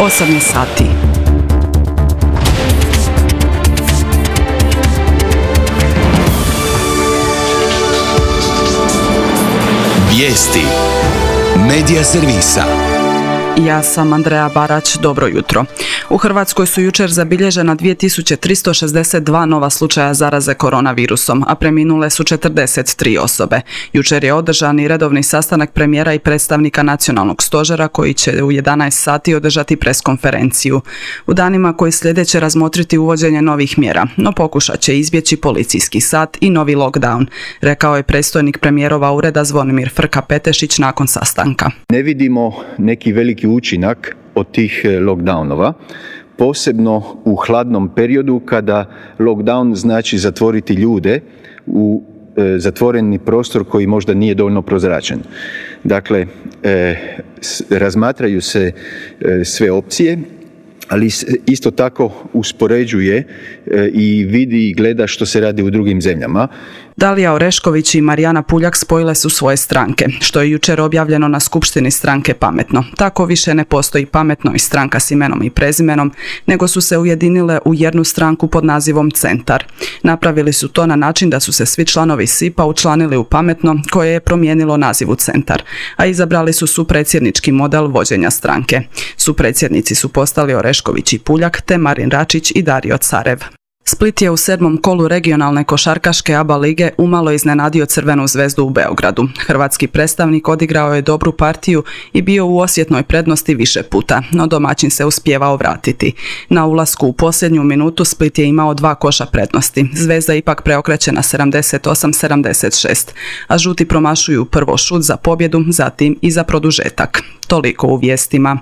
8 je sati. Vijesti Medija servisa. Ja sam Andreja Barać, dobro jutro. U Hrvatskoj su jučer zabilježena 2362 nova slučaja zaraze koronavirusom, a preminule su 43 osobe. Jučer je održan i redovni sastanak premijera i predstavnika nacionalnog stožera koji će u 11 sati održati preskonferenciju. U danima koji slijede će razmotriti uvođenje novih mjera, no pokušat će izbjeći policijski sat i novi lockdown, rekao je predstojnik premijerova ureda Zvonimir Frka-Petešić nakon sastanka. Ne vidimo neki veliki učinak od tih lockdownova, posebno u hladnom periodu kada lockdown znači zatvoriti ljude u zatvoreni prostor koji možda nije dovoljno prozračen. Dakle, razmatraju se sve opcije, ali isto tako uspoređuje i vidi i gleda što se radi u drugim zemljama. Dalija Orešković i Marijana Puljak spojile su svoje stranke, što je jučer objavljeno na skupštini stranke Pametno. Tako više ne postoji Pametno i stranka s imenom i prezimenom, nego su se ujedinile u jednu stranku pod nazivom Centar. Napravili su to na način da su se svi članovi SIP-a učlanili u Pametno, koje je promijenilo naziv u Centar, a izabrali su supredsjednički model vođenja stranke. Supredsjednici su postali Orešković i Puljak, te Marin Račić i Dario Carev. Split je u 7. kolu regionalne košarkaške ABA lige umalo iznenadio Crvenu zvezdu u Beogradu. Hrvatski predstavnik odigrao je dobru partiju i bio u osjetnoj prednosti više puta, no domaćin se uspijevao vratiti. Na ulasku u posljednju minutu Split je imao 2 koša prednosti. Zvezda ipak preokreće na 78-76, a žuti promašuju prvo šut za pobjedu, zatim i za produžetak. Toliko u vijestima.